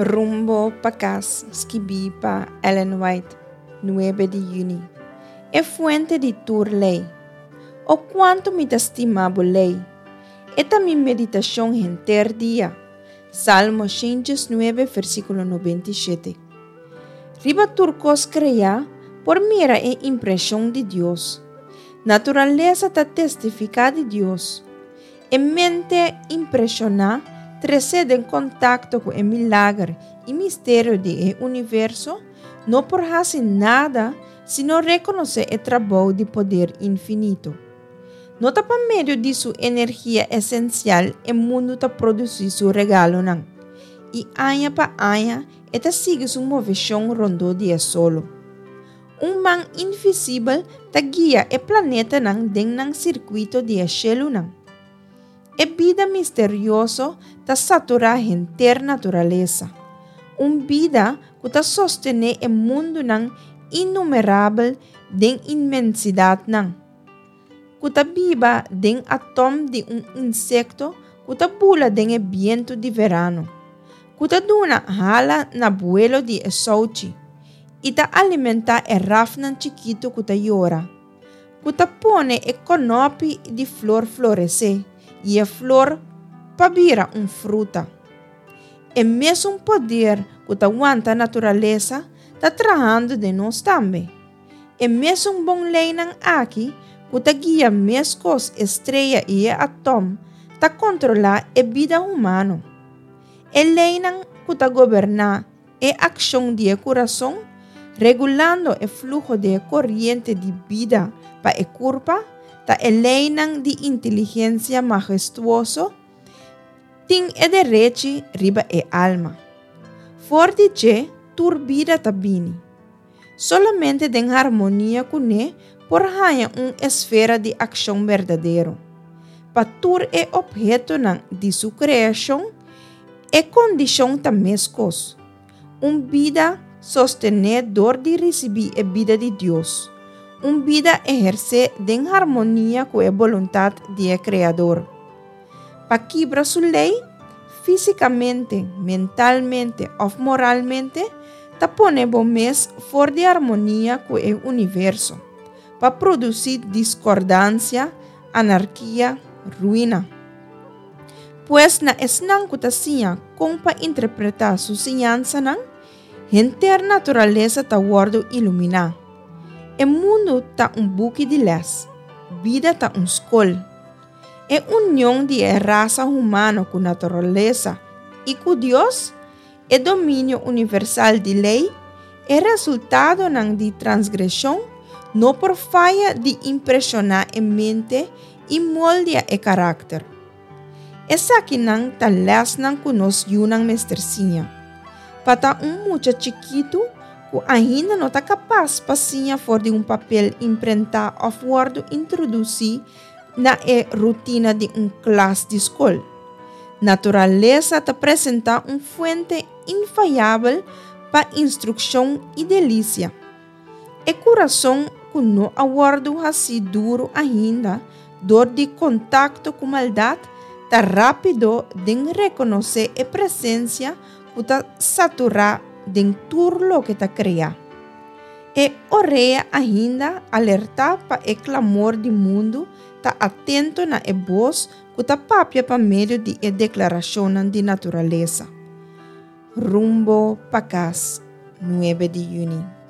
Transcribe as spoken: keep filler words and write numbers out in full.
Rumbo pa Kas, skibí pa Ellen White, nuebe di yüni. E fuente di tur lei. O kuantu mi ta stima bo lei! E ta mi meditashon henter dia. Salmo shen diesnuebe, versíkulo nobenta i shete. Riba tur kos kreá por mira e impreshon di Dios. Naturalesa ta testifiká di Dios. E mente impreshoná, tresé den kontakto ku e milager i misterio di e universo, no por hasi nada sino rekonosé e trabou di poder infinito. No ta pa medio di su energia esensial e mundu ta produsí su regalonan, i aña pa aña e ta sigui su moveshon rondó di e solo. Un man invisibel ta guia e planetanan den nan sirkuito di e shelunan. E bida misterioso ta saturá henter naturalesa. Un bida ku ta sostené e mundunan innumerabel den inmensidatnan. Ku ta biba den atòm di un insekto ku ta bula den e bientu di verano. Ku ta duna hala na buelo di e souchi i ta alimentá e rafnan chikitu ku ta yora. Ku ta pone e kònòpi di flor floresé i e flor pa bira un fruta. E mesun poder ku ta wanta naturalesa ta trahando den nos tambe. E mesun bon leinan aki ku ta guia meskos e strea i e atòm ta kontrolá e bida humano. E leinan ku ta goberná e akshon di e kurason, regulando e fluho di e koriente di bida pa e kurpa, ta e leinan di inteligensia mahestuoso, tin e derechi riba e alma. For di dje tur bida ta bini. Solamente den harmonia kuné por haña un esfera di akshon berdadero. Pa tur e ophetonan di su kreashon, e kondishon ta meskos. Un bida sostené dor di risibí e bida di Dios. Un bida ehersé den harmonia ku e boluntat di e Kreador. Pa kibra su lei, físikamente, mentalmente òf moralmente, ta pone bo mes for di harmonia ku e universo, pa produsí diskordansia, anarkia, ruina. Pues na esnan ku ta siña kon pa interpretá su siñansanan, henter naturalesa ta wòrdu iluminá. E mundu ta un buki di lès, bida ta un skol. E union di e rasa humano ku naturalesa i ku Dios, e dominio universal di lei, e resultadonan di transgreshon no por faya di impreshoná e mente i moldia e karakter. Esakinan ta lèsnan ku nos yunan mester siña. Pa ta un mucha chikitu ku ainda no ta kapas pa siña for di un papel imprentá òf wòrdu introdusí na e rutina di un klas di skol. Naturalesa ta presentá un fuente infayabel pa instrukshon i delisia. E kurason ku no a wòrdu hasí duru ainda dor di kontakto ku maldat ta rápido den rekonosé e presensia ku ta saturá den tur loke ta kreá. E orea ainda alerta pa e klamor di mundu ta atento na e bos ku ta papia pa medio di e deklarashonnan di naturalesa. Rumbo pa Kas, nuebe di yüni.